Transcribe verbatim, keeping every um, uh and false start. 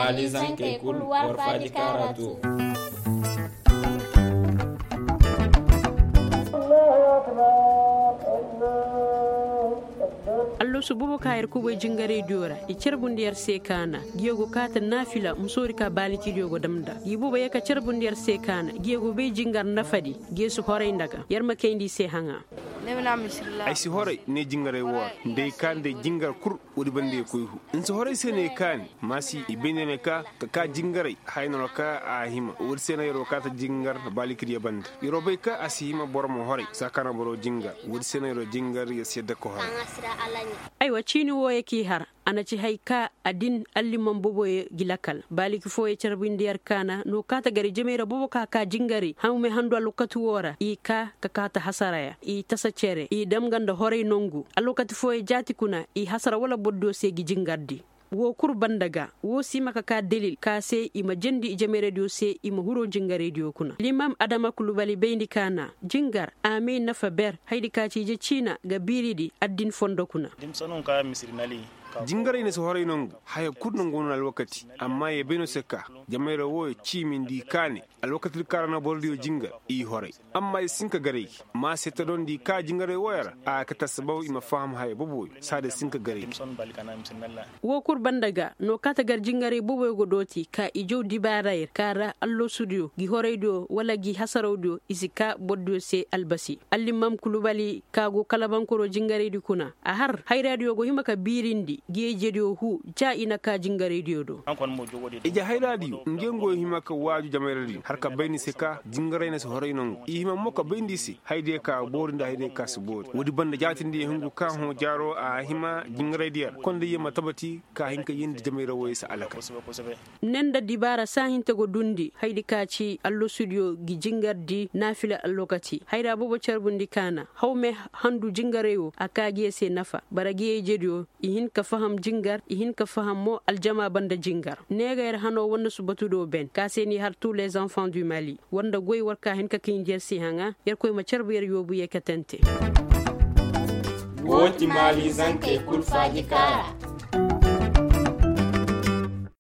Alizankey kul war faaji kaara to. Alloosu boobo ka yer kubay jingaraydiyo ra i carbundi yer se kaana. Giyo go kaata naafila musoori ka baalikidiyo go dam nda gi boobo ye ka carbundi yer se kaana. Giyo go bay jingar nafadi. Giyo si horay nda ga yer ma kayndi i se haŋa. Ay si horay ne jingaray woo ra. Nda ay kaa nda ay jingar kul. Woodi banda ye koy hu. Nsi horay se ne kaani. Maasi i bay ne ne ka ka kaa jingaray haya no ra ka a hima woodi se no yeroo kaata jingar baalikidiyo banda. Yeroo bay ka a si hima boro ma horay saa ka no boroo jingar. Woodi se no yeroo jingar yer si yadda ka horay. Aywa ciini wooyo k'i har. A na ci hay ka a din allimam boboyo gi lakal baaliki fooyo carbindi yer kaana no kaata gari jamey ra bobo ka kaa jingaray hawme handu alwakati woo ra i kaa ka kaata hasaraya i tasa cere i dam nga nda horay nongu. Alwakati fooyo jaati kuna i hasara wala bordiyo se gi jingardi. Woo kul banda ga woo si hima ka kaa delil ka se i ma jendi i jameyradiyo se i ma huroo jingaraydiyo kuna limaam adama kulubali bayndi kaana. Jingar a may nafa ber haydi ka ci ije ciina ga biiridi addin fondo kuna. Jingaray na si horay nongu haya kul nongu no na alwakati. Amma ye bay no se ka jamayra wooyo ciimindi kaane. Alwakati di kaŋ ra no borodiyo jingar i horay. Amma i si hin ka garay gi ma se ta dondi ka jingaray wooyo ra a ga kate assabab i ma faham haya boboyo saada i si hin ka garay gi. Woo kul banda ga no kaata gar jingaray boboyo ga dooti ka i jaw dibaarayr ka ra alloosudiyo gi horaydiyo wala gi hasarawdiyo i si kaa borodiyo se albasi. Allimam kulubali ka go kalabankoro jingaraydi kuna a har hayraadiyo go hima ka biirindi giyey jediyo huu ja i na kaa jingaraydiyo do. Ije hayraadiyo nge go hima ka waaju jamayradiyo har ka bay ni se ka jingaray na si horay nongu i hima mo ka bay nda i se haydiyo ka boori nda haydiyo ka si boori woodi banda jaatindi ye hungu ka hõ jaaroo a hima jingaraydiyo ra konda ye ma tabati ka hin ka yeendi jamayra wooyo se alakal. Ne nda dibaara saahinte go duundi haydi ka ci alloosudiyo gi jingardi naafila alwakati hayra boobo carbundi kaana hawme handu jingaray woo a kaa gi ye se nafa bara gi ye ijediyo i hin ka faham jingar i hin ka faham mo aljama banda jingar. Ne ga yer hanoo war na subatudiyo ben ka se n'i har tous les enfants du mali war nda goy war ka hin ka kayndi yer se haŋa yer koy ma carbu yer yoobu yeekatante. Woo ti maali zankey kul faaji kaara.